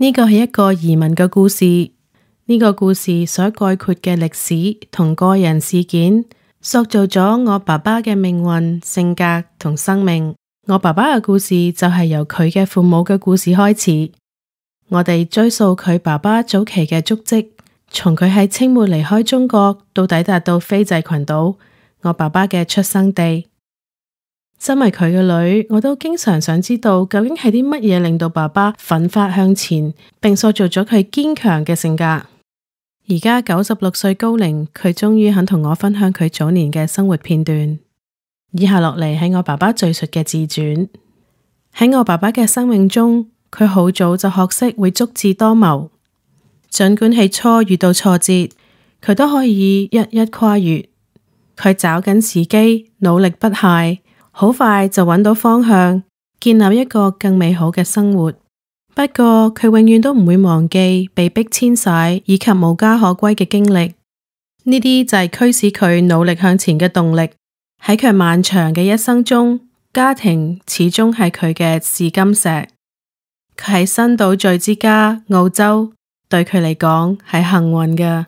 呢個係一個移民嘅故事，呢個故事所概括嘅歷史同個人事件，塑造咗我爸爸嘅命運、性格同生命。我爸爸嘅故事就係由佢嘅父母嘅故事開始。我哋追溯佢爸爸早期嘅足跡，從佢喺清末離開中國到抵達到斐濟群島，我爸爸嘅出生地。身為佢嘅女，我都經常想知道究竟係啲乜嘢令到爸爸奮發向前，並塑造咗佢堅強嘅性格。而家96歲高齡，佢終於肯同我分享佢早年嘅生活片段。以下落嚟係我爸爸敘述嘅自傳。喺我爸爸嘅生命中，佢好早就學識會足智多謀，儘管起初遇到挫折，佢都可以一一跨越。佢找緊時機，努力不懈，好快就揾到方向，建立一個更美好嘅生活。不過佢永遠都唔會忘記被迫遷徙以及無家可歸嘅經歷，呢啲就係驅使佢努力向前嘅動力。喺佢漫長嘅一生中，家庭始終係佢嘅試金石。佢喺新島嶼之家澳洲，對佢嚟講係幸運嘅。